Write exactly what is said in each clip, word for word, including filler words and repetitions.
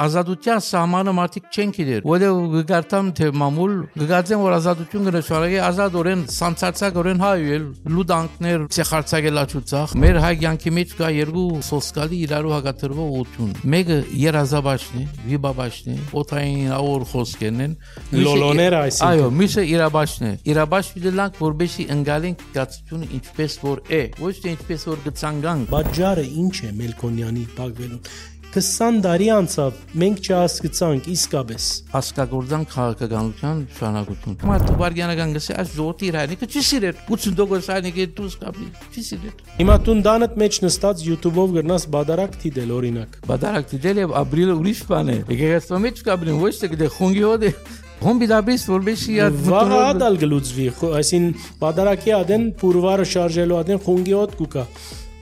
ազատության սահմանը մարդիկ չեն գիտեր, որտեղ գարտամ թե մամուլ գգածեն որ ազատություն կնշանակի ազատորեն սանցածակորեն հայել լուդանքներ ցեխարցակելաչուցախ մեր հայ կյանքի մեջ կա երկու սոսկալի իրարու հակատրվող ուտուն մեկը երազաբաշն է վիբաբաշն է օթային աոր խոսքերն են լոլոները այսինքն այո միսը իրաբաշն է իրաբաշ դիլանք որբեսի ընկալենք գացությունը ինչպես որ է ոչ թե ինչպես որ գցանգան բաժարը ինչ է Մելքոնյանի բաղվելուն քսան տարի անցավ մենք չհասկացանք իսկապես հասկագործան քաղաքականության շարունակություն մարդու վարգյանական գսե այս ժողովրդի իրայնիկը չի սիրել ութսուն տոկոս այնիկը դուս կապի չի սիրել հիմա տուն դանդ մեջ նստած YouTube-ով գրնաս բադարակ դիտել օրինակ բադարակ դիտել եւ ապրիլը ուրիշ բան է եկեղեցու մեջ կապրին ոչ թե դե խոնգի հոդե Հոմբի դաբիս որբեսի յա վաղադալ գլուծվի այսին բադարակի ադեն փուրվարը շարժելու ադեն խոնգի հոդ կուկա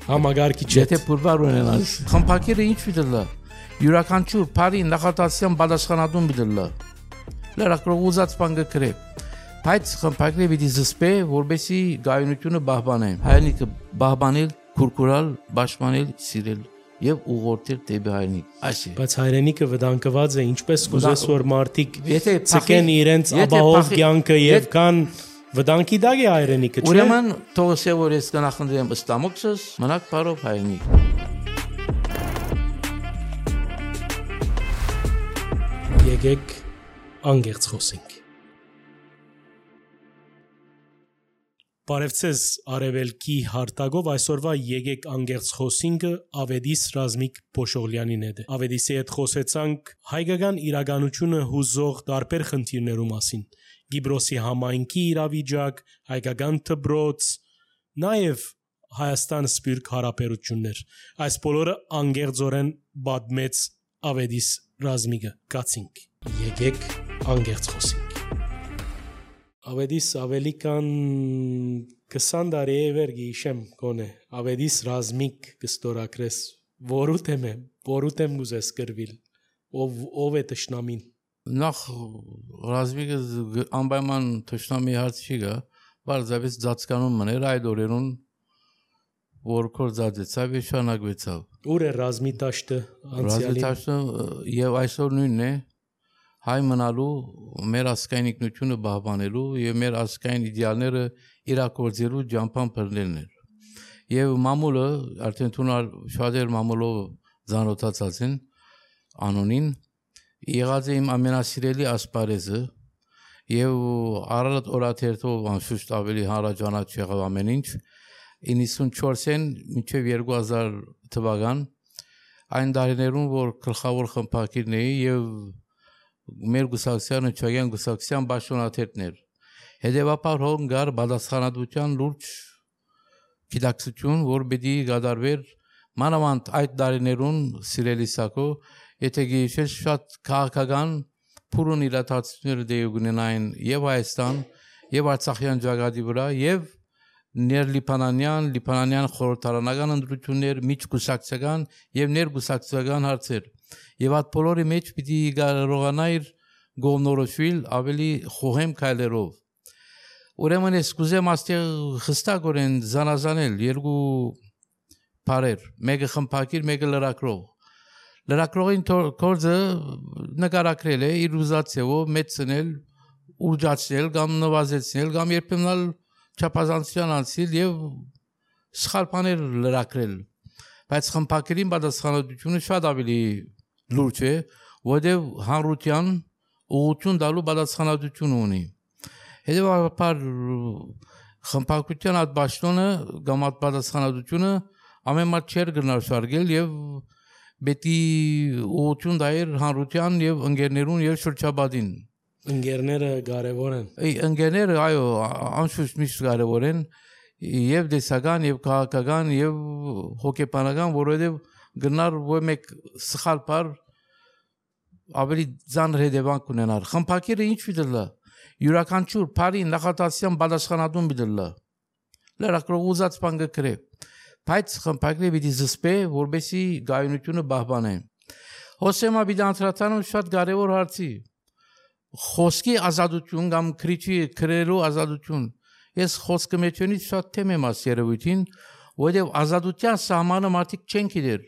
Համագարկի չէ Եթե փուրվար ունենաս խմփակիրը ինչ վիդլա յուրաքանչյուր բարի նախատասյան բադասխանատուն վիդլա լրակրող ուզած բան գկրե բայց խմփակիրը պիտի զսպե որբեսի գայունությունը բահբանեն հայնիկը բահբանել քուրքուրալ պաշտպանել սիրել եւ ուղղորդել դեպի հայրենիք այսի բայց հայրենիքը վտանգված է ինչպես կուզես որ մարդիկ ցկեն իրենց ապահով կյանքը եւ կան վտանգի դագ է հայրենիքը չէ ուրեմն թողսե որ ես կնախնդրեմ ըստամոքսս մնաք բարով հայրենիք եկեք անգերց խոսենք Բարևձեզ արևելքի հարտագով այսօրվա եկեք անգերց խոսինքը Ավետիս Ռազմիկ Փոշողլյանին հետ է Ավետիսի հետ խոսեցանք հայկական իրականությունը հուզող տարբեր խնդիրներու մասին Գիբրոսի համայնքի իրավիճակ հայկական դպրոց նաև Հայաստան սփյուռք հարաբերություններ այս բոլորը անգերձորեն բադմեց Ավետիս Ռազմիկը կացինք եկեք անգերց խոսենք Ավետիս ավելի կան քսան տարի է վեր գիշեմ կոնե Ավետիս Ռազմիկ կստորակրես որու թեմ է որու թեմ գուզես գրվել ով ով է տշնամին նախ Ռազմիկը անպայման տշնամի հարց չի գա բարձավից ծածկանում մներ այդ օրերուն որ կոր ծածեցավ եւ շանակվեցավ ուր է Ռազմի տաշտը անցյալի տաշտը եւ այսօր նույնն է հայ մնալու մեր ազգային ինքնությունը բահբանելու եւ մեր ազգային իդեալները իրագործելու ջամփան բռնելն էր եւ մամուլը արդեն թունար շատեր մամուլով ծանոթացած են անոնին եղած է իմ ամենասիրելի ասպարեզը եւ առատ օրաթերթով անշուշտ ավելի հարաճանաչ եղավ ամեն ինչ իննսունչորսեն մինչեւ երկու հազար թվական այն տարիներուն որ գլխավոր խմբակիրն էի եւ մեր գուսակցությանը չագյան գուսակցության բաշոնաթերթներ հետևաբար հոն գար բադասխանատվության լուրջ գիտակցություն որ պիտի գադարվեր մանավանդ այդ տարիներուն սիրելի սակո եթե գիշեր շատ քաղաքական փուրուն իրադարձություններ դեպի ունենային եւ Հայաստան եւ Արցախյան ճակատի վրա եւ ներլիբանանյան լիբանանյան խորհրդարանական ընտրություններ միջգուսակցական եւ ներգուսակցական հարցեր Եվ այդ բոլորի մեջ պիտի կարողանայր գոհնորոշվել ավելի խոհեմ քայլերով։ Ուրեմն ես կուզեմ աստեղ խստակորեն զանազանել երկու բարեր, մեկը խմբակիր, մեկը լրակրող։ Լրակրողին կորձը նկարագրել է իր ուզածով մեծնել, ուժացնել կամ նվազեցնել կամ երբեմն չափազանցության անցնել եւ սխալ բաներ լրակրել։ Բայց խմբակիրին պատասխանատվությունը շատ ավելի լուրջ է, որտեղ հանրության ուղղություն տալու պատասխանատվություն ունի։ Հետևաբար խմբակցության այդ պաշտոնը կամ այդ պատասխանատվությունը ամեն մարդ չէր գնալ շարժել եւ պետք է ուղղություն տայր հանրության եւ ընկերներուն եւ շրջապատին։ Ընկերները կարևոր են։ Այ ընկերները այո, անշուշտ միշտ կարևոր են եւ դեսական եւ քաղաքական եւ հոգեբանական, որովհետեւ գնար որ մեկ սխալ բար ավելի ծանր հետևանք ունենար։ Խմբակիրը ինչ վիդլա յուրաքանչյուր բարի նախատասյան պատասխանատուն վիդլա լրակրող ուզած բան գկրե բայց խմբակիրը պիտի զսպե որբեսի գայունությունը բահբանե հոսեմա պիտի անդրադառնամ շատ կարևոր հարցի խոսքի ազատություն կամ քրիչի քրելու ազատություն ես խոսքը մեջոնից շատ թեմ եմ աս երևույթին որովհետև ազատության սահմանը մարդիկ չեն գիտեր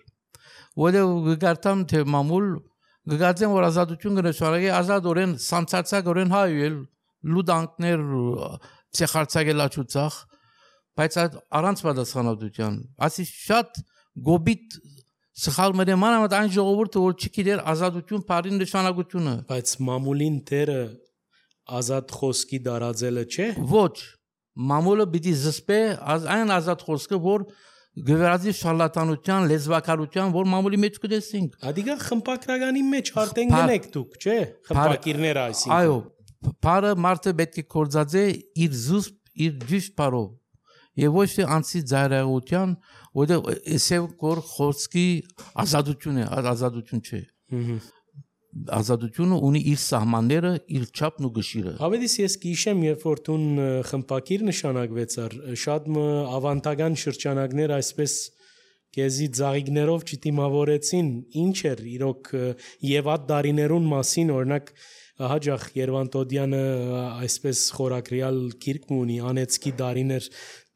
որովհետև գարտամ թե մամուլ գգացեն որ ազատություն կնշանակի ազատորեն սանցածակորեն հայել լուդանքներ ցեխարցակելաչուցախ բայց առանց պատասխանատվության ասի շատ գոբիտ սխալ մեր մանավանդ այն ժողովուրդը որ չգիտեր ազատություն բարի նշանակությունը բայց մամուլին դերը ազատ խոսքի դարաձելը չէ ոչ մամուլը պիտի զսպե այն ազատ խոսքը որ գվերածի շարլատանության լեզվակարության որ մամուլի մեջ կտեսենք ադիգա խմպակրականի մեջ հարտեն գնեք դուք չէ խմպակիրները այսինքն այո բարը մարդը պետք է կորձածե իր զուսպ իր ճիշտ բարով եւ ոչ թե անցի ծայրահեղության որտեղ էսեւ կոր խոսքի ազատություն է ազատություն չէ ազատությունը ունի իր սահմանները իր չափն ու գշիրը հավեդիս ես գիշեմ երբ որ տուն խմպակիր նշանակվեցար շատ ավանտագան շրջանակներ այսպես կեզի ծաղիկներով չդիմավորեցին ինչ էր իրոք եւ այդ դարիներուն մասին օրինակ հաջախ Երվանտոդյանը այսպես խորակրյալ գիրք ունի անեցքի դարիներ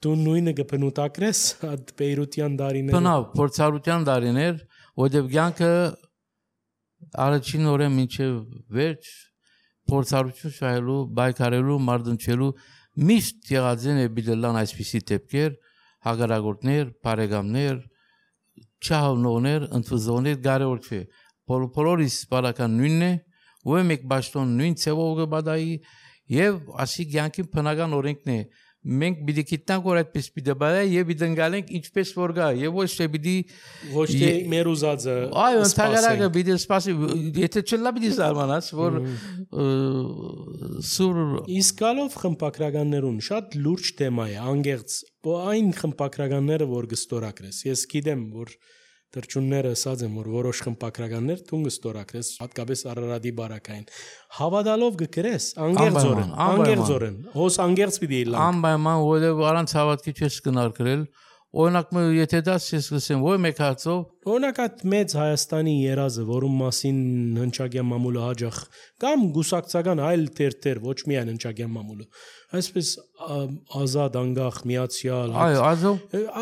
դու նույնը կբնութակրես այդ Բեյրության դարիները բնավ փորձառության դարիներ որտեղ ցանկը առաջին օրը մինչև վերջ փորձառություն շահելու բայկարելու մարդնչելու միշտ եղածեն է բիդլան այսպիսի դեպքեր հագարագործներ բարեկամներ չհավնողներ ընդվզողներ կարևոր չէ բոլորիս բարական նույնն է ու մեկ բաշտոն նույն ցևով կբադայի եւ ասի ցանկի բնական օրենքն է մենք պիտի գիտնանք որ այդպես պիտի բայ եւ պիտի ընկալենք ինչպես որ գա եւ ոչ թե պիտի ոչ թե մեր ուզածը այո ընդհանրակը պիտի սպասի եթե չլա պիտի զարմանաս որ սուր իսկ գալով խմպակրականներուն շատ լուրջ թեմա է անգերց այն խմպակրականները որ գստորակրես ես գիտեմ որ դրճունները ասած եմ որ որոշ խմպակրականներ տուն գստորակրես հատկապես Արարատի բարակային հավատալով գկրես անգերձորեն անգերձորեն հոս անգերց պիտի լա անպայման որը առանց հավատքի չես կնարկրել օրինակ մը եթե դաս ես լսեմ որ մեկ հացով օրինակ այդ մեծ Հայաստանի երազը որում մասին հնչագյան մամուլը հաջախ կամ գուսակցական այլ թերթեր ոչ միայն հնչագյան մամուլը այսպես ազատ անգախ միացյալ այո ազո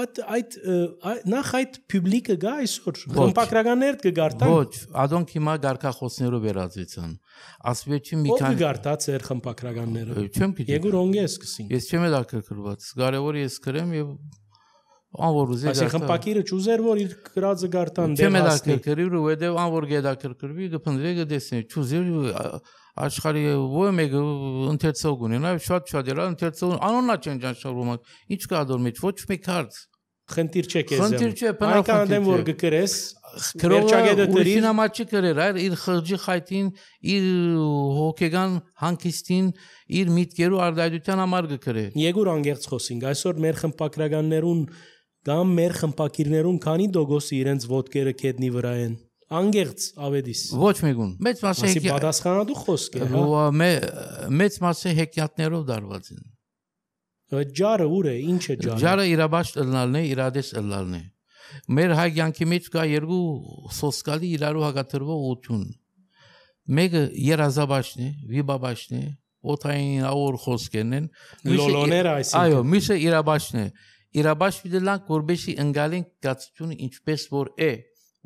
այդ այդ նախ այդ պուբլիկը գա այսօր խմպակրականներ կգարտան ոչ ադոնք հիմա գարկախոսներով վերածեցան ասվեճի մի քանի գարտած էր խմպակրականները չեմ գիտի եգուր օնգես կսին ես չեմ դակրկրված կարևոր ես գրեմ եւ անորուզի այսինքն խմպակիրը ճուզեր որ իր գրածը գարտան դեմ հասնի չեմ դակրկրվի ու դե անոր գեդակրկրվի գփնդրե գտեսնի ճուզեր աշխարհի ո մեկը ընթերցող ունենա շատ շատ դրա ընթերցող անոնա չեն ճանաչում ինչ կա դոր մեջ ոչ մեկ հարց խնդիր չէ քեզ խնդիր չէ բնական դեմ որ գկրես վերջագետը դրի նամաճի կրեր այլ իր խղճի խայտին իր հոգեգան հանգիստին իր միտքերու արդայության համար գկրե եգուր անգերց խոսինք այսօր մեր խմպակրականներուն կամ մեր խմպակիրներուն քանի դոգոսի իրենց ոտքերը կետնի վրա են անգերց ավեդիս ոչ մեկուն մեծ մասը հեկի պատասխանատու խոսք է հա մեծ մասը հեկյատներով դարված են ջարը ուր է ինչ է ջարը ջարը իրաբաշտ ըլնալն է իրադես ըլնալն է մեր հայ կյանքի մեջ կա երկու սոսկալի իրարու հակատրվող ուղղություն մեկը երազաբաշն է վիբաբաշն է օթային աուր խոսքերն են լոլոները այսինքն այո միսը իրաբաշն է իրաբաշ դիլանք որբեսի ընկալենք գացությունը ինչպես որ է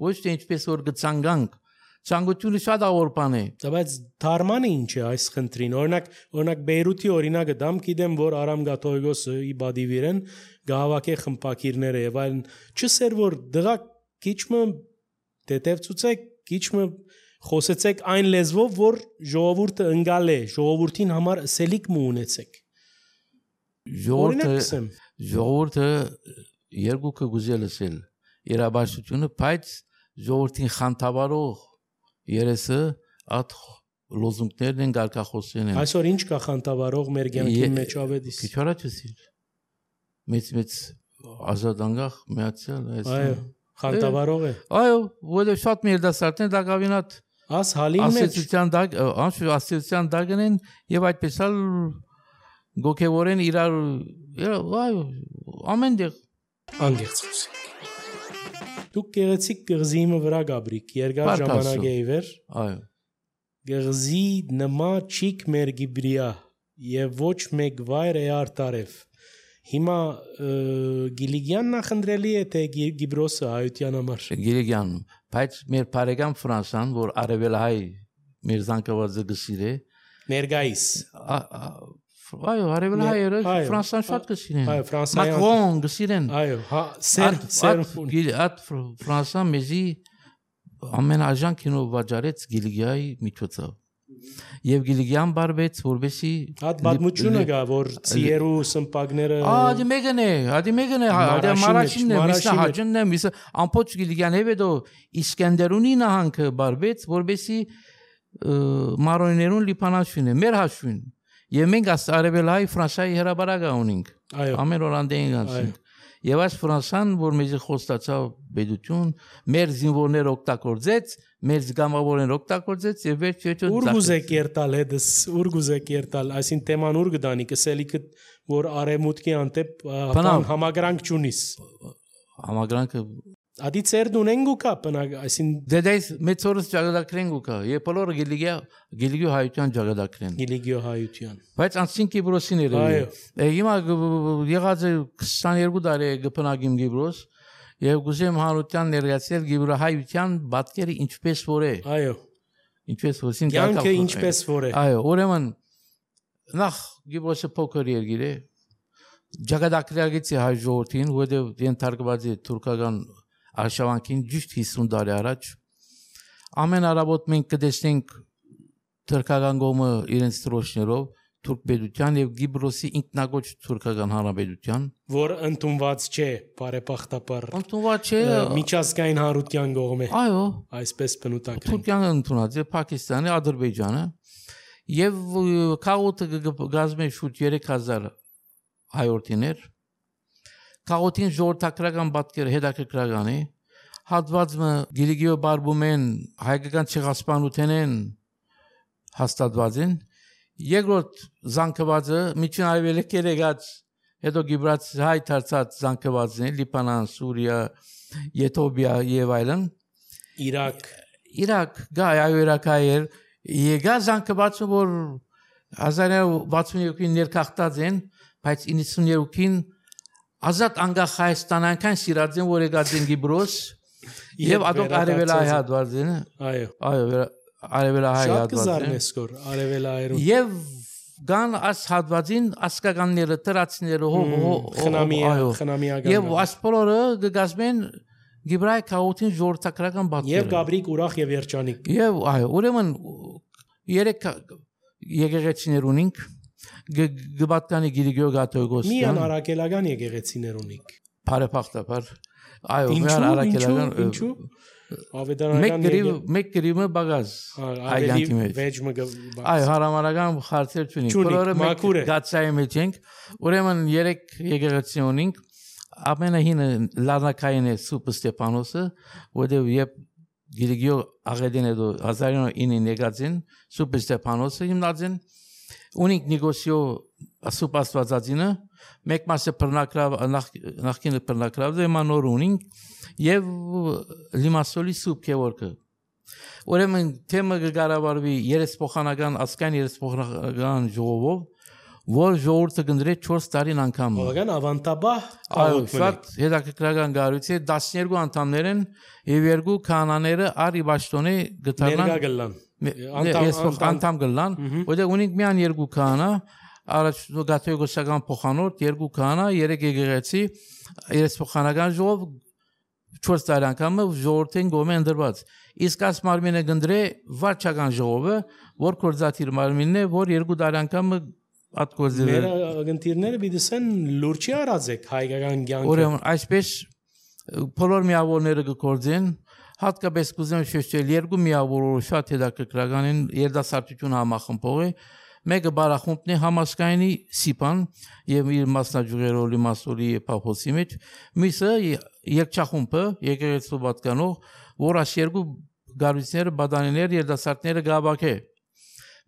ոչ թե ինչպես որ գցանգանք ցանկությունը շատ ավոր բան է բայց դարմանը ինչ է այս խնդրին օրինակ օրինակ Բեյրութի օրինակը դամ գիտեմ որ Արամ Գաթոյգոսը ի բադիվիրեն գահավակե խմպակիրները եւ այլն չսեր որ դղա քիչմը դետևծուցեք քիչմը խոսեցեք այն լեզվով որ ժողովուրդը ընկալ է ժողովրդին համար սելիկ մու ունեցեք ժողովուրդը ժողովուրդը երկուքը գուզելսել իրաբաշությունը բայց ժողովրդին խանդավառող երեսը այդ լոզունգներն են գարկախոսեն են այսօր ինչ կա խանդավառող մեր կյանքի մեջ ավեդիս քիչ առաջացի մեծ մեծ ազատ անգախ միացյալ այո խանդավառող է այո որը շատ մերդասարտն դա կավինատ աս հալին մեջ ասոցիացիան դա անշու ասոցիացիան դագն են եւ այդպես էլ գոքեվորեն իրար այո ամեն դեղ անգերց խոսի դուք գեղեցիկ գղզիմը վրա գաբրիկ երկար ժամանակ է իվեր այո գղզի նմա չիկ մեր գիբրիա եւ ոչ մեկ վայր է արտարև հիմա Գիլիգյանն ախնդրելի է թե Գիբրոսը հայության համար Գիլիգյան բայց մեր բարեկամ Ֆրանսան, որ արևելահայ մեր զանգվածը գսիրե, ներգայիս այո, արևելահայերը Ֆրանսան շատ գսիրեն։ Այո, Ֆրանսիան Մակրոն գսիրեն։ Այո, հա, սեր սեր Այդ Ֆրանսան մեզի ամենաժան կինո վաճառեց Գիլիգիայի միջոցով։ Եվ Գիլիգիան բարբեց, որովհետեւ հատ բադմությունը գա, որ ծիերու սմպագները Ադի մեկն է, ադի մեկն է, ադի մարաշինն է, միսա հաջնն է, միսա ամփոչ Գիլիգիան հետո Իսկենդերունի նահանգը բարբեց, որովհետեւ մարոնիներուն լիփանաշուն է, մեր հաշուն։ Եվ մենք արևելահայ Ֆրանսիայի հրաբարակը ունենք։ Ամեն օր անդեն գանցենք։ Եվ այս Ֆրանսան, որ մեզի խոստացավ բեդություն, մեր զինվորները օգտագործեց, մեր զգամավորները օգտագործեց եւ վերջեջո Ուրգուզե կերտալ հետս, ուրգուզե կերտալ, այսին թեման ուր գտանի, կսելիքը որ արեմուտքի անտեպ համագրանք ճունիս։ Համագրանքը Ադի ծերդ ունեն գուկա բնակ, այսին դեդայս մեծորս ճագադակրեն գուկա, եւ բոլորը գիլիգիա գիլիգիո հայության ճագադակրեն։ Գիլիգիո հայության։ Բայց անցին Կիպրոսիները։ Այո։ Հիմա եղած է քսաներկու տարի գփնագիմ Կիպրոս եւ գուզեմ հանրության ներկայացնել Կիպրո հայության բացկերը ինչպես որ է։ Այո։ Ինչպես որ սին կյանքը ինչպես որ է։ Այո, ուրեմն նախ Կիպրոսը փոքր երկիր է։ Ճագադակրագից հայ ժողովրդին, որտեղ ենթարկված է թուրքական Արշավանքին ճիշտ հիսուն տարի առաջ ամեն արաբոտ մենք կտեսնենք թուրքական կողմը իրենց դրոշներով թուրք պետության եւ Կիպրոսի ինքնագոչ թուրքական հանրապետության որ ընդունված չէ բարեփոխտապար ընդունված չէ միջազգային հանրության կողմը այո այսպես բնութագրեն Թուրքիան ընդունած է Պակիստանը Ադրբեջանը եւ քաոտը գազմե շուտ երեք հազար հայորդիներ Քաղոթին ժողովրդական պատկերը հետաքրքրական է հատվածը Գիլիգիո բարբումեն հայկական ցեղասպանութենեն հաստատված են երկրորդ զանգվածը միջին արևելքերը գած հետո Գիբրաց հայ դարձած զանգվածն է Լիբանան, Սուրիա, Եթովպիա եւ այլն Իրաք Իրաք գայ այո Իրաքայեր եկա զանգվածը որ հազար նոյ վաթսունյոթին ներքախտած են բայց իննսունյոթին Ազատ անգախ Հայաստանական սիրածին որ եկած են Կիպրոս եւ ադոք արևելահայ հատվածին այո այո արևելահայ հատվածին շատ կզարնեսկոր արևելահայերուն եւ գան աս հատվածին ասկականները տրացիները հող խնամիա խնամիական եւ ասպորը գազմեն Գիբրայ քաոտին ժողովրդական բացել եւ Գաբրիկ ուրախ եւ երջանիկ եւ այո ուրեմն երեք եկեղեցիներ ունենք Գբատկանի Գիլիգիո Գաթողիկոսյան Միան արաքելական եկեղեցիներ ունիկ Բարեփոխտապար այո միան արաքելական ինչու ավետարանական մեկ գրիվ մեկ գրիվը բագազ այլանքի մեջ վեճը այո հարամարական խարցեր չունենք բոլորը մեկ գացայի մեջ ենք ուրեմն երեք եկեղեցի ունենք ամենահինը լարնակային է Սուպ Ստեփանոսը որտեղ երբ Գիլիգիո աղետին է հազար նոյ ինին եկածին Սուպ Ստեփանոսը հիմնածին Ունիկ նեգոսիո ասուպաստվածածինը մեկ մասը բռնակրավ նախկինը բռնակրավ է մանոր ունինք եւ լիմասոլի սուպ քեորքը ուրեմն թեմը գարավարվի երեսփոխանական ասկան երեսփոխանական ժողովով որ ժողովուրդը գնդրե չորս տարին անգամ բավական ավանտաբահ այո շատ հետաքրքրական գարույց է տասներկու անդամներ են եւ երկու քահանաները արի բաշտոնի գտարան անդամ գլան որտեղ ունենք միան երկու քահանա առաջ գաթողիկոսական փոխանորդ երկու քահանա երեք եկեղեցի երեսփոխանական ժողով չորս տարի անգամ ժողովրդին գոմե ընդրված իսկ աս մարմինը գնդրե վարչական ժողովը որ կորզաթիր մարմինն է որ երկու տարի անգամ ատկոզել մեր ագնտիրները բիդսեն լուրջի արածեք հայկական կյանքը ուրեմն այսպես բոլոր միավորները կգործեն հատկապես կուզեմ շեշտել երկու միավորը շատ հետաքրքրական են երդասարտություն համախմբող է մեկը բարախումբն է համասկայնի սիպան եւ իր մասնաճյուղերով լիմասոլի փափոսի մեջ մյուսը երկչախումբը եկեղեցու պատկանող որ աս երկու գարույցները բադանիներ երդասարտները գաբակե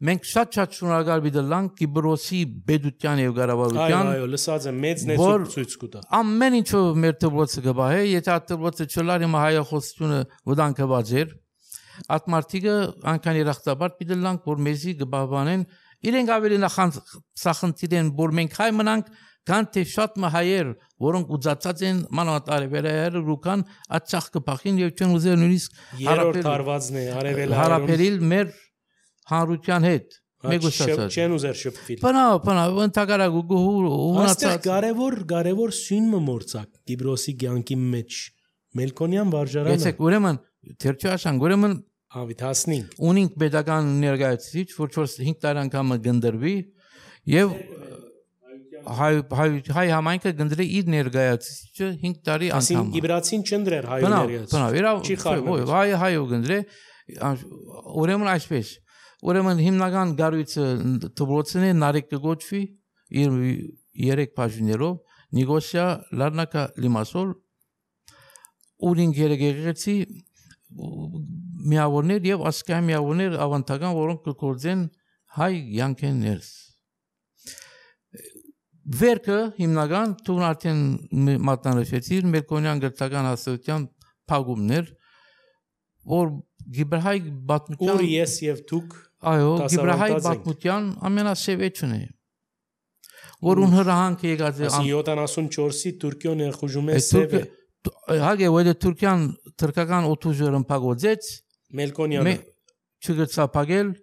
մենք շատ-շատ շնորհակալ բիդլանք Կիպրոսի բեդության եւ գարավարության այո այո լսած եմ մեծ նեցուկ ցույց կտա ամեն ինչով մեր դպրոցը գբահե եթե դպրոցը չլար իմ հայախոսությունը ոդանքը բաժեր ատմարտիկը անքան երախտաբար բիդլանք որ մեզի գբահանեն իրենք ավելի նախանց սախնդիր են որ մենք հայ մնանք Կան թե շատ մահայեր, որոնք ուծածած են մանավանդ արևելայերը ռուկան աչախ կփախին եւ չեն ուզել նույնիսկ երրորդ հարվածն է արևելայերում հարաբերիլ մեր հանրության հետ մեգուսացած չեն ուզեր շփվել բանա բանա ընտակարագ ու ունացած կարևոր կարևոր սույնը մորցակ Կիպրոսի ցանկի մեջ Մելքոնյան վարժարանը Գեցեք ուրեմն թերչաշան ուրեմն ավիթ հասնենք ունինք pedagogan ներկայացուցիչ որ չորս-հինգ տարի անգամ գնդրվի եւ հայ հայ հայ համայնքը գնդրի իր ներկայացուցիչը հինգ տարի անգամ ասին իբրացին չնդրեր հայ ներկայացուցիչ բանա բանա հայ հայ գնդրե ուրեմն այսպես ուրեմն հիմնական գարույցը դպրոցն է նարեկ կգոչվի իր երեք բաժիններով նեգոսիա լարնակա լիմասոլ ուրին գերեգեցի միավորներ եւ ասկայ միավորներ ավանդական որոնք կգործեն հայ յանքերս Վերքը հիմնական թուն արդեն մատնանշեցիր Մելքոնյան գրթական հասարակության փակումներ որ Գիբրահայ բաթմության Ուր ես եւ դուք այո Գիբրահայ բաթմության ամենասեւեջն է որ ուն հրանք եկած է յոթանասունչորսի Թուրքիոն երխուժում է սևը հագե որ Թուրքիան թրկական օթուժերն փակոծեց Մելքոնյանը չգծապագել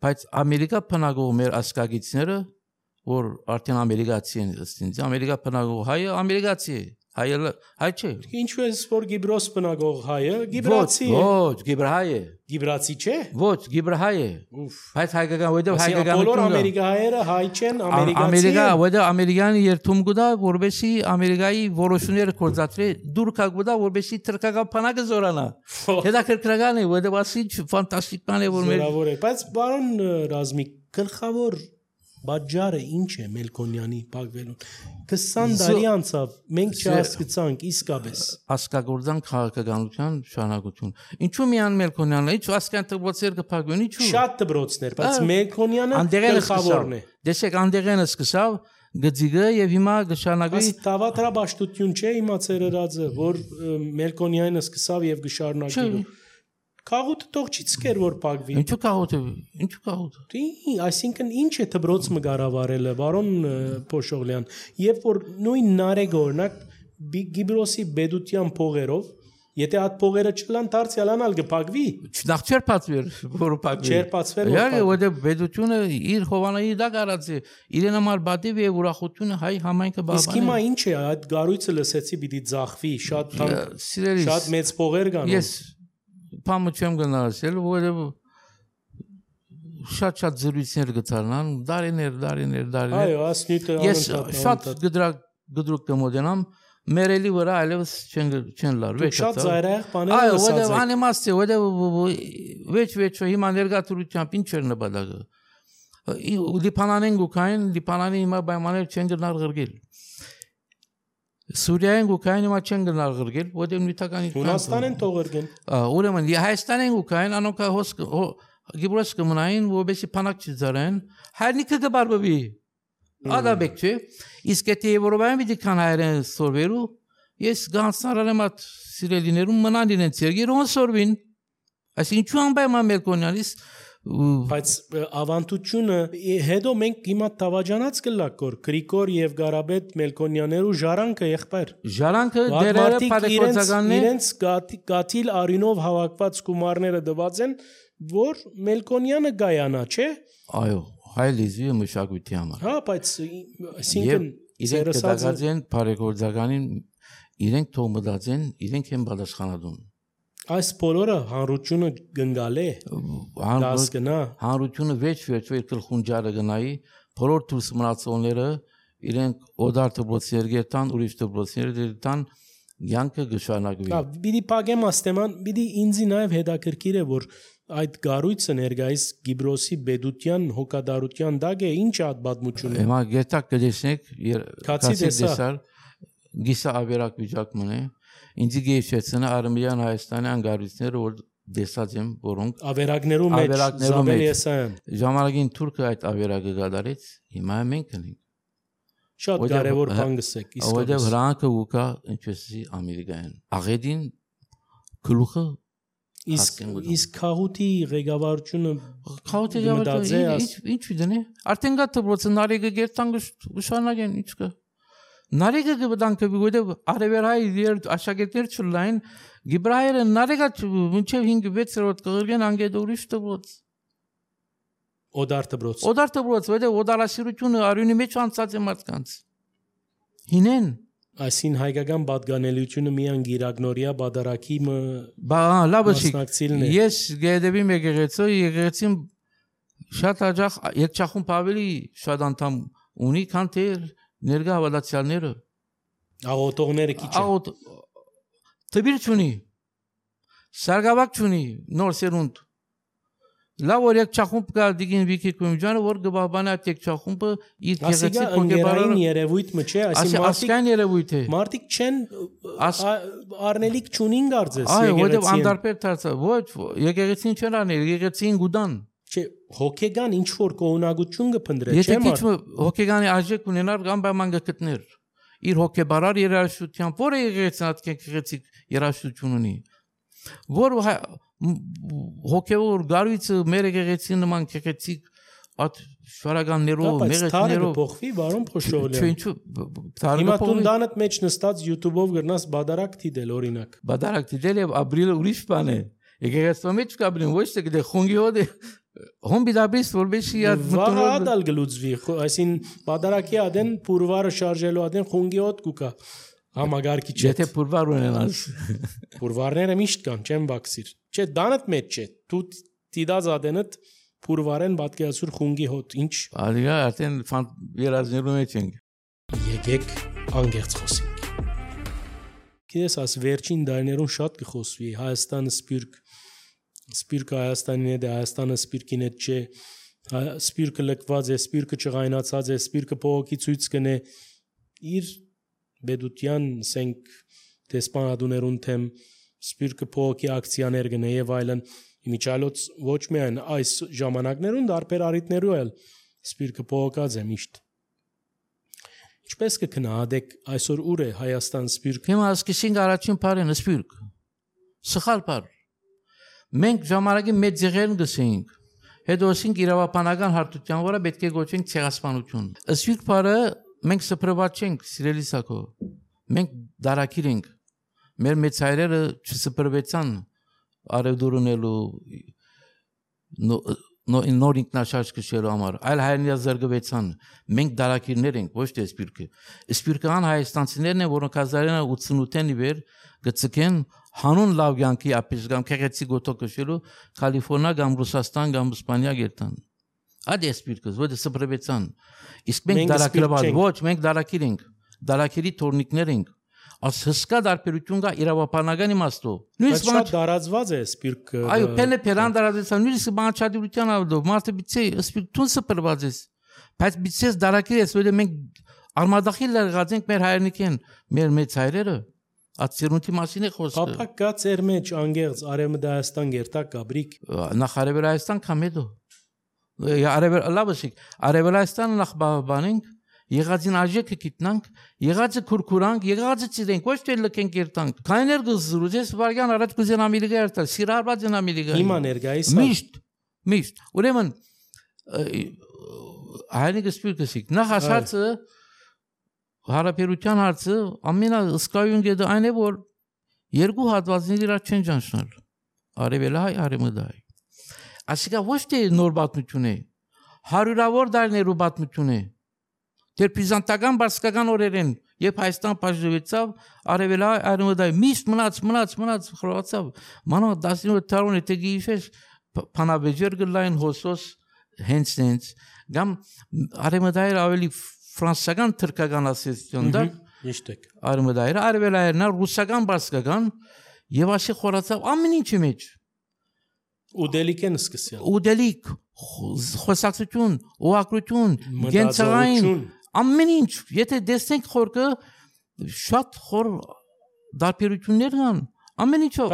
բայց Ամերիկա փնագող մեր ասկագիցները որ արդեն ամերիկացի են ըստ ամերիկա բնագող հայը ամերիկացի հայը հայ չէ ինչու է որ Գիբրոս բնագող հայը գիբրացի է ոչ գիբրահայ է գիբրացի չէ ոչ գիբրահայ է բայց հայկական ոդը հայկական բոլոր ամերիկայերը հայ չեն ամերիկացի ամերիկա ոդը ամերիկանի երթում գուտա որբեսի ամերիկայի որոշումները կորզածրի դուր կա գուտա որբեսի թրկական փանակը զորանա հետաքրքրական է ոդը ասի ֆանտաստիկ բան է որ մեր բայց բարոն Ռազմիկ գլխավոր Բաջարը ինչ է Մելքոնյանի փակվելուն քսան տարի անցավ մենք չհասկացանք իսկապես ասկագործան քաղաքականության շարունակություն ինչու միան Մելքոնյանը ինչ ասկան դպրոցեր կփակվեն ինչու շատ դպրոցներ բայց Մելքոնյանը գլխավորն է դեսեք անդեղենը սկսավ գծիգը եւ հիմա գշարունակվի տավատրաբաշտություն չէ իմացեր ըրածը որ Մելքոնյանը սկսավ եւ գշարունակի Կաղուտը տող չի ցկեր որ փակվի։ Ինչու կաղուտը, ինչու կաղուտը։ Դի, այսինքն ինչ է դբրոց մգարավարելը, բարոն Փոշօղլյան, երբ որ նույն նարեգ օրինակ Գիբրոսի բեդության փողերով, եթե այդ փողերը չլան դարձյալանալ կփակվի։ Նախ չեր փակվեր, որ փակվի։ Չեր փակվեր։ Յա որ բեդությունը իր հովանայի դա գարած է, իրեն համար բադիվ եւ ուրախությունը հայ համայնքը բաբան։ Իսկ հիմա ինչ է այդ գարույցը լսեցի պիտի ձախվի, շատ շատ մեծ փողեր կան։ Ես Պամը չեմ գնացել, որը շատ-շատ զրույցներ գտարնան, դարիներ, դարիներ, դարիներ։ Այո, ասնյութը Ես շատ գդրակ գդրուկ կմոդենամ, մերելի վրա այլևս չեն չեն լար, վեճ։ Շատ զայրահեղ բաներ ասած եք։ Այո, անիմաստ է, որը վեճ-վեճ հիմա ներգաթրությամբ ինչ էր նպատակը։ Լիբանանեն գուքային, Լիբանանի հիմա պայմաններ չեն գնալ ղրգել։ Սուրիայեն գուքային հիմա չեն գնալ ղրգել, որտեղ նյութականի Հունաստանեն թողերգեն։ Ուրեմն Հայաստանեն գուքային անոնք հոս Գիբրոս կմնային, որովհետեւ փանակ չծարեն, հայրենիքը կբարբվի։ Ադաբեք չէ։ Իսկ եթե Եվրոպայում պիտի կան հայերեն սորվերու, ես գանցնարել եմ at սիրելիներում մնան իրենց երգերով սորվին։ Այսինքն ինչու անպայման Մելքոնյանից բայց ավանդությունը հետո մենք հիմա տավաճանած կլակոր Գրիգոր եւ Գարաբետ Մելքոնյաներու ժարանքը եղբայր ժարանքը դերերը բարեգործականն է իրենց գաթիլ արինով հավաքված գումարները դված են որ Մելքոնյանը գայանա չէ այո հայ լեզվի մշակույթի համար հա բայց այսինքն իրենք դակացեն բարեգործականին իրենք թող մտածեն իրենք են պատասխանատուն Այս բոլորը հանրությունը գնգալ է դաս գնա հանրությունը վեճ վեճ վեճ խունջարը գնայի բոլոր դուրս մնացողները իրենք օդար դպրոցներ գերտան ուրիշ դպրոցներ դերտան յանքը գշանակվի Հա պիտի պագեմ աստեման պիտի ինձի նաև հետաքրքիր է որ այդ գարույցը ներկայիս Գիբրոսի բեդության հոգադարության դագ է ինչ է այդ պատմությունը Հիմա գետակ կդեսնեք քացի դեսար գիսա ավերակ վիճակ մնե Ինձ գեշեցնա Արմենիան Հայաստանի անգարույցները որ դեսած եմ որոնք ավերակներու մեջ Զաբել Եսայան ժամանակին թուրքը այդ ավերակը գդարեց հիմա մենք ենք շատ կարևոր բան գսեք իսկապես որտեղ հրանքը ուկա ինչպեսի Ամերիկայեն աղեդին գլուխը իսկ իսկ խաղութի ղեկավարությունը խաղութի ղեկավարությունը ինչ ինչ դնի արդեն գա դպրոցը նարեգը գերտան ուշանագեն ինչ կա Նարեկը գտանքը գուտե արևելայի դեր աշակերտներ չլայն գիբրայերը նարեկը մինչև հինգ վեցրոտ կգրգեն անգետ ուրիշ տվոց օդար տբրոց օդար տբրոց վեդե օդարասիրությունը արյունի մեջ անցած է մարդկանց հինեն այսին հայկական պատկանելիությունը միան գիրագնորիա բادرակի բա լավսիկ ես գեդեվի մեգերեցո եկեցին շատ աջախ եկչախում ավելի շատ անդամ ունի քան թե ներգա հավատացյալները աղոտողները քիչ աղոտ տբիր չունի սարգավակ չունի նոր սերունդ լավ որ եկչախում կա դիգին վիկի կոմիջանը որ գբաբանա եկչախումը իր գեղեցիկ կոնկեբարային երևույթ մը չէ այսին մարդիկ երևույթ է մարդիկ չեն արնելիք չունին գարձես այո որտեվ անդարպեր դարձա ոչ եկեղեցին չեն անել եկեղեցին գուդան չէ հոգեգան ինչ որ կողունակություն կփնդրե չէ մարդ եթե հոգեգանի արժեք ունենար կամ բաման գտներ իր հոգեբարար երաշխությամբ որը եկեղեցին եկեղեցիկ երաշխություն ունի որ հոգեոր գարույցը մեր եկեղեցին նման եկեղեցիկ at շարականներով մեղեթներով փոխվի բարոն Փոշողլյան ինչու հիմա տունդանդ մեջ նստած YouTube-ով գրնաս բادرակ դիդել օրինակ բادرակ դիդել եւ ապրիլը ուրիշ բան է եկեղեցու մեջ կապրին ոչ թե դե խոնգի հոդե հոմբի դաբիս որբեշի յա վաղադալ գլուծվի այսին բادرակի ադեն փուրվարը շարժելու ադեն խոնգի հոդ կուկա համագարկի չէ եթե փուրվար ունենաս փուրվարները միշտ կան չեն բաքսիր չէ դանդ մեջ չէ դու դիդած ադենդ փուրվարեն պատկերացուր խունգի հոտ ինչ ալիգա արդեն երազներու մեջ ենք եկեք անգերց խոսենք քիես աս վերջին դարներուն շատ կխոսվի Հայաստանը սպիրկ սպիրկը Հայաստանին է Հայաստանը սպիրկին է չէ սպիրկը լքված է սպիրկը չղայնացած է սպիրկը փողոքի ցույց կնե իր բեդուտյան սենք դեսպանադուներուն թեմ սպիրկը փողոքի ակցիաներ գնե եւ այլն Իմիջալոց ոչ միայն այս ժամանակներուն դարբեր արիտներու էլ սպիրկը փողոքած է միշտ ինչպես կքնահատեք այսօր ուր է Հայաստան սպիրկը հիմա սկսենք առաջին բառը սպիրկ սխալ բառ մենք ժամանակի մեծ ձեղերն գսենք հետո ասենք իրավապանական հարթության վրա պետք է գոչենք ցեղասպանություն սպիրկ բառը մենք սփռված չենք սիրելի սակո մենք դարակիր ենք մեր մեծ հայրերը չսփռվեցան արևդուրունելու նոր ինքնաշարժ կշելու համար այլ հայրենիք զարգվեցան մենք դարակիրներ ենք ոչ թե սպիրկը սպիրկան հայաստանցիներն են որոնք հազար ութսունութ-ին վեր գծկեն հանուն լավ կյանքի ապիժգամ քեղեցի գոտո կշելու Կալիֆոռնիա կամ Ռուսաստան կամ Իսպանիա գերտան այդ է սպիրկը ոչ թե սփռվեցան իսկ մենք դարակիրված ոչ մենք դարակիր ենք դարակիրի թորնիկներ ենք As հսկա դարբերություն կա իրավապանական իմաստով։ Նույնիսկ շատ դարածված է սպիրկը։ Այո, փելը փերան դարածան, նույնիսկ բանչադիրության ավդով, մարդը բիցե սպիրկուն սփռված է։ Բայց բիցես դարակիր է, որ մենք արմադախիլ եղած ենք մեր հայրենիքին, մեր մեծ հայրերը։ Ացիրունտի մասին է խոսքը։ Փափակ կա ծեր մեջ անգերց Արևմտահայաստան գերտակ գաբրիկ։ Նախ Արևելահայաստան կամեդո։ Արևել լավսիկ, Արևելահայաստանը նախ բանենք Եղածին աջեկը գիտնանք, եղածը քուրքուրանք, եղածը ծիրենք, ոչ թե լքենք երտանք։ Քայներ գզրուջես վարգան առաջ կուզեն ամիլիգա երտալ, սիրարված են ամիլիգա։ Հիմա ներկայիս միշտ, միշտ։ Ուրեմն հայրենիքը սպիրկսիկ։ Նախ ասածը հարաբերության հարցը ամենա ըսկայուն գեդը այն է, որ երկու հատվածների իրար չեն ճանչնալ։ Արևելահայ, արևմտահայ։ Ասիկա ոչ թե նոր պատմություն է, հարյուրավոր դարներու պատմություն է։ Դեր բիզանտական բարսկական օրերեն երբ Հայաստան բաժնվեցավ արևելահայ արևմտահայ միշտ մնաց մնաց մնաց խորացավ մանո տասնյոթ տարին եթե գիշեր փանավեջեր գլային հոսոս հենց հենց գամ արևմտահայ ավելի ֆրանսական թրկական ասեցիոն դա ճիշտ է արևմտահայ արևելահայն ռուսական բարսկական եւ ասի խորացավ ամեն ինչի մեջ ուդելիկ են սկսել ուդելիկ խոսակցություն օակրություն գենցային ամեն ինչ եթե դեսնենք խորքը շատ խոր դարբերություններ կան ամեն ինչով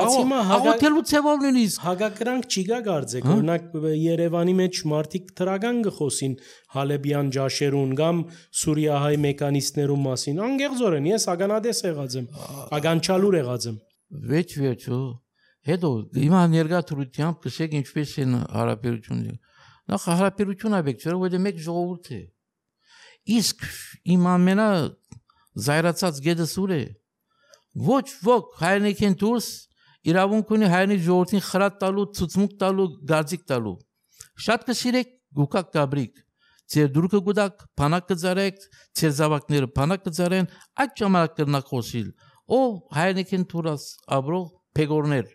աղոթելու ցևով նույնիսկ հագակրանք չի գա գարձեք օրինակ Երևանի մեջ մարդիկ թրագան գխոսին Հալեբյան ջաշերուն կամ Սուրիահայ մեքանիստներուն մասին անգեղձորեն ես ագանադես եղած եմ ագանչալուր եղած եմ վեճ վեճո հետո հիմա ներգաթրությամբ կսեք ինչպես են հարաբերությունները նախ հարաբերություն աբեք չէ՞ որ մեկ ժողովուրդ է Իսկ իմ ամենա զայրացած գեդս ուր է։ Ոչ ոք հայրենիքին դուրս իրավունք ունի հայրենի ժողովրդին խրատ տալու, ցուցմուկ տալու, գարձիկ տալու։ Շատ կսիրեք գուկակ գաբրիկ։ Ձեր դուրքը գուտակ, փանակ կծարեք, ձեր զավակները փանակ կծարեն, այդ ժամանակ կրնակ խոսիլ։ Ով հայրենիքին դուրս ապրող փեգորներ։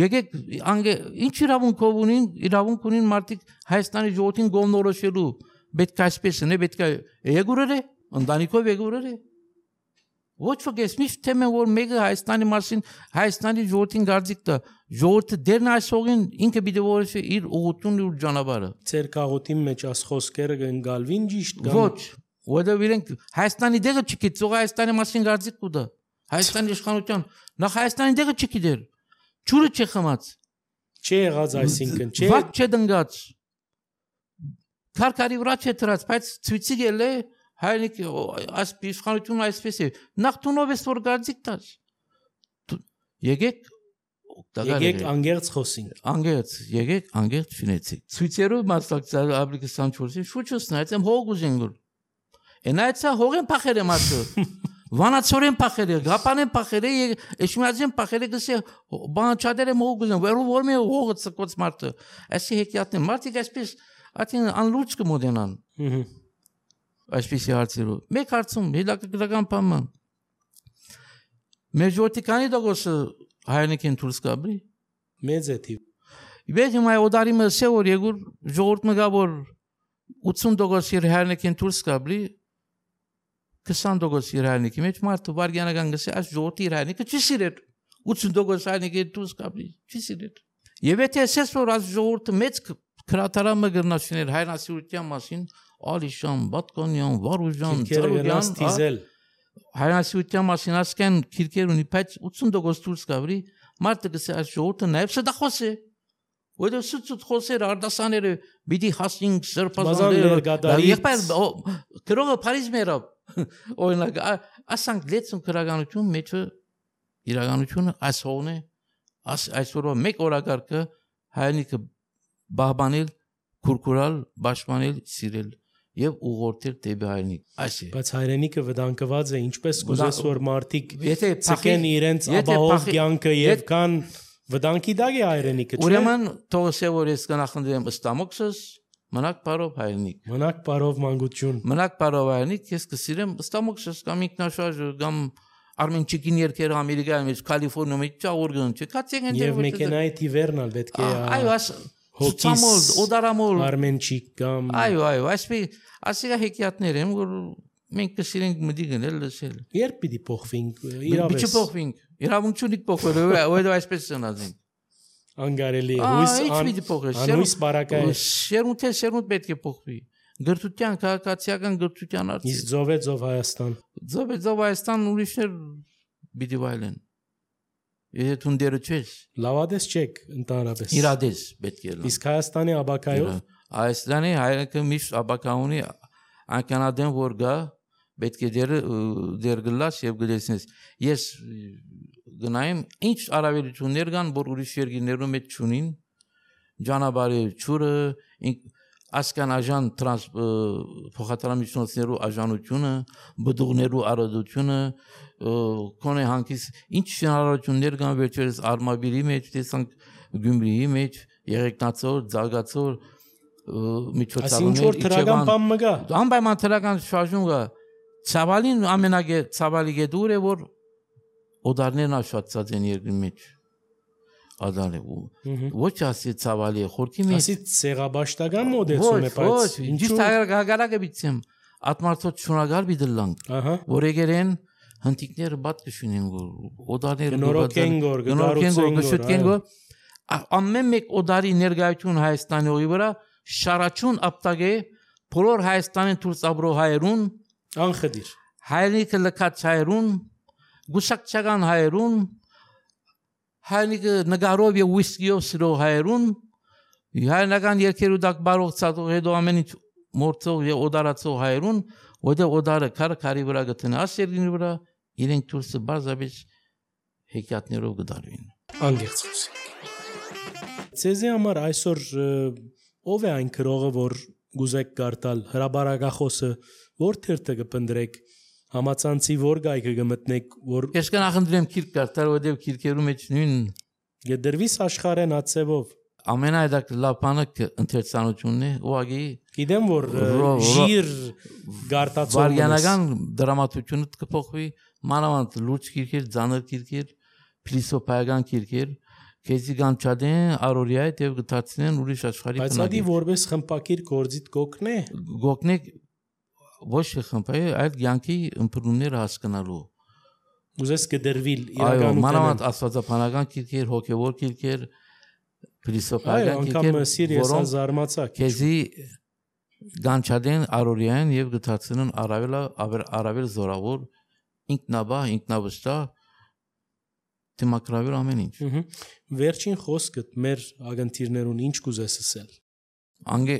Եկեք անգե ինչ իրավունքով ունին, իրավունք ունին մարդիկ Հայաստանի ժողովրդին գոմնորոշելու, պետք է այսպես է, պետք է եկուրեր է, ընտանիքով եկուրեր է։ Ոչ ոք ես միշտ թեմ եմ որ մեկը Հայաստանի մասին Հայաստանի ժողովրդին գարձիկ տա ժողովուրդը դերն այսօղին ինքը պիտի որոշի իր ուղղությունն ու ճանապարհը Ձեր կաղոտի մեջ աս խոսքերը կընկալվին ճիշտ կամ Ոչ որովհետև իրենք Հայաստանի դեղը չգիտող Հայաստանի մասին գարձիկ կուտա Հայաստանի իշխանության նախ Հայաստանի դեղը չգիտեր ջուրը չի խմած չի եղած այսինքն չի Ված չդնգած Քարքարի վրա չէ դրած բայց ցույցի գել է Հայրենիք այս իշխանությունը այսպես է նախտունով էս որ գարձիկ տաս եկեք եկեք անգերց խոսենք անգերց եկեք անգերց շինեցեք ցույցերով մասնակցել ապրիկը քսան չորսին շուչուսն այցեմ հող ուզենգուր այնայցա հողեն փախերը մասը վանացորեն փախերը գապանեն փախերը էշմիածեն փախերը գսե բան չադերը հող ուզեն վերու որ մի հողը ցկոց մարդը այսի հեքիաթն մարդիկ այսպես ատին անլուրջ կմոդենան Այսպիսի հարցերով։ Մեկ հարցում հետաքրքրական բանը։ Մեր ժողովրդի քանի տոկոսը հայրենիքին դուրս կաբրի։ Մեծ է թիվ։ Իբեք հիմա օդարի մսե որ եկուր ժողովուրդ մգա որ ութսուն տոկոս իր հայրենիքին դուրս կաբրի քսան տոկոս իր հայրենիքի մեջ մարդը վարգյանական գսե այս ժողովրդի իր հայրենիքը չի սիրել։ ութսուն տոկոս հայրենիքի դուրս կաբրի չի սիրել։ Եվ եթե ասես որ այս ժողովուրդը մեծ քրատարամը գրնաշիներ հայրենասիրության մասին Ալիշան, Բատկանյան, Վարուժան, Ծարուգյան, հայրենասիրության մասին ասկան քիրքեր ունի, բայց ութսուն տոկոս դուրս կաբրի, մարդը գսե այս ժողովուրդը նաև սդախոս է։ Որը սուտ խոսեր արդասաները, պիտի հասնենք սրբազանները, եղբայր գրողը Փարիզ մերավ, օրինակ, ասանք լեցուն քրականություն մեջը իրականությունը այս հողն է, այսօրվա մեկ օրակարգը հայրենիքը բահբանել, քուրքուրալ, պաշտպանել, սիրել եւ ուղղորդել դեպի հայրենիք։ Այս է։ Բայց հայրենիքը վտանգված է, ինչպես կուզես որ մարդիկ ցկեն իրենց ապահով կյանքը եւ կան վտանգի դակ է հայրենիքը, չէ՞։ Ուրեմն թողսե որ ես կնախնդրեմ ըստամոքսս մնաք բարով հայրենիք։ Մնաք բարով մանկություն։ Մնաք բարով հայրենիք, ես կսիրեմ ըստամոքսս կամ ինքնաշարժ կամ Արմենչիկին երկերը Ամերիկայում մեջ Կալիֆոռնիայում մեջ ճաղորգն չէ։ Կացեք ընդ եւ մեքենայի թիվերնալ պետք է։ Այո, աս Հոկիս, օդարամոլ, Արմենչիկ կամ Այո, այո, այսպես ասիգա հեքիաթներ են, որ մենք կսիրենք մտի գնել լսել։ Երբ պիտի փոխվենք, իրավես։ Պիտի փոխվենք։ Իրավունք չունի փոխվել, որովհետև այսպես ցնածենք։ Անգարելի հույս, անհույս բարակայ։ Շերունթե շերունդ պետք է փոխվի։ Գրթության, քաղաքացիական գրթության արծիվ։ Իսկ ծովե ծով Հայաստան։ Ծովե ծով Հայաստան ուրիշներ պիտի վայելեն։ Եթե թունդերը չես։ Լավադես չեք ընդհանրապես։ Իրադես պետք է լավ։ Իսկ Հայաստանի աբակայով Հայաստանի հայրենիքը միշտ աբակա ունի անկանադեն որ գա պետք է դեր դեր գլաս եւ գլեսնես։ Ես գնայեմ ինչ արավելություններ կան որ ուրիշ երկրներում մեջ չունին ճանապարհի ճուրը ասկան աժան տրանս փոխադրամիջոցներու աժանությունը բդուղներու արադությունը կոնե հանկիս ինչ հնարավորություններ կան վերջերս արմավիրի մեջ տեսանք գյումրիի մեջ երեքնացոր զարգացոր միջոցառումներ իջևան բան մգա անպայման թրական շարժում կա ցավալին ամենագե ցավալի գեդուր է որ օդարներն աշացած են երկրի մեջ Ադալը ոչ ասի ցավալի խորքի մեջ ասի ցեղաբաշտական մոդեցում է բայց ինչու հագարակը բիցեմ ատմարտոց շնորհակալ բիդլանք որ եկերեն հնտիկները բաց կշունեն որ օդարները նորոգեն գոր գարուցեն գոր ամեն մեկ օդարի ներկայություն Հայաստանի օի վրա շարաչուն ապտագե բոլոր Հայաստանին դուրս ապրող հայերուն անխդիր հայրենիքը լքած հայերուն գուսակցական հայերուն հայրենիքը նկարով եւ ուիսկիով սիրող հայերուն հայրենական երկերու դակ բարող ցածող հետո ամեն ինչ մորցող եւ օդարացող հայերուն որտեղ օդարը քար քարի վրա գտնի ասերգինի վրա իրենք դուրսը բարձաբեջ հեքիաթներով գդարվին անգերց խոսենք Ցեզի համար այսօր ով է այն քրողը որ գուզեք գարտալ հրաբարակախոսը որ թերթը կփնդրեք Համացանցի որ գայքը գմտնեք, որ Ես կնախնդրեմ քիրք կարդալ, որովհետև քիրքերու մեջ նույն գդրվիս աշխարհեն ածևով։ ամենայդակ լավ բանը ընթերցանությունն է, ուղղակի Գիտեմ որ Ռո- ժիր գարտացող վարգանական դրամատուրգությունը կփոխվի, մանավանդ լուրջ քիրքեր, ծանր քիրքեր, փիլիսոփայական քիրքեր, քեզի գանչադեն արորիայ եւ գտածնեն ուրիշ աշխարհի Բայց ադի որպես խմպակիր գործիտ գոքն է։ գոգնեք ոչ խմբայ, այլ յանքի ըմբռնումները հասկանալու։ Ուզես կդրվիլ Այո, իրականության։ մանավանդ աստվածաբանական քիրքեր, հոգևոր քիրքեր, Այո, փիլիսոփայական անգամ քիրքեր, սիրիես որոնք զարմացակ։ քեզի գանչադեն արորիան եւ գտածնեն առավել առավել զորավոր ինքնաբա, ինքնավստահ դեմոկրատիա ամեն ինչ։ Ահա։ Վերջին խոսքդ մեր ագընթիրներուն ինչ կուզես ասել։ Անգե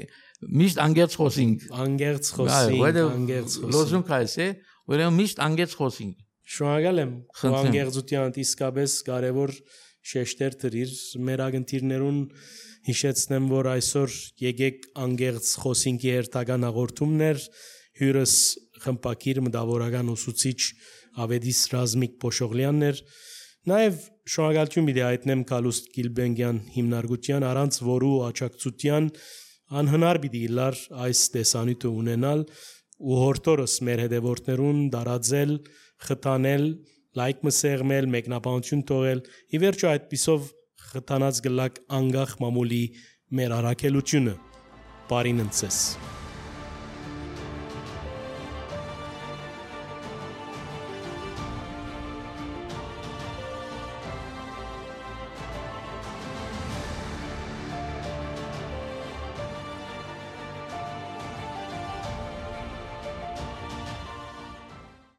միշտ անգերց խոսինք։ Անգերց Այո, խոսին, որտեղ անգերց խոսին։ լոզունգ կայս է, որտեղ միշտ անգերց խոսինք։ Շնորհակալ եմ։ Խնդրեմ։ Անգերցության իսկապես կարևոր շեշտեր դրիր մեր ագընթիրներուն հիշեցնեմ, որ այսօր եկեք անգերց խոսինքի հերթական հաղորդումներ հյուրս խմպակիր մտավորական ուսուցիչ Ավետիս Ռազմիկ Փոշողլյանն էր։ Նաև շնորհակալություն մի հայտնեմ Կալուստ Գիլբենգյան հիմնարկության առանց որու աջակցության անհնար պիտի լար այս տեսանյութը ունենալ ու հորտորս մեր հետևորդներուն դարաձել, խթանել, լայք մսեղմել, մեկնաբանություն թողել, ի վերջո այդպիսով խթանած գլակ անգախ մամուլի մեր առաքելությունը։ Բարին ընցես։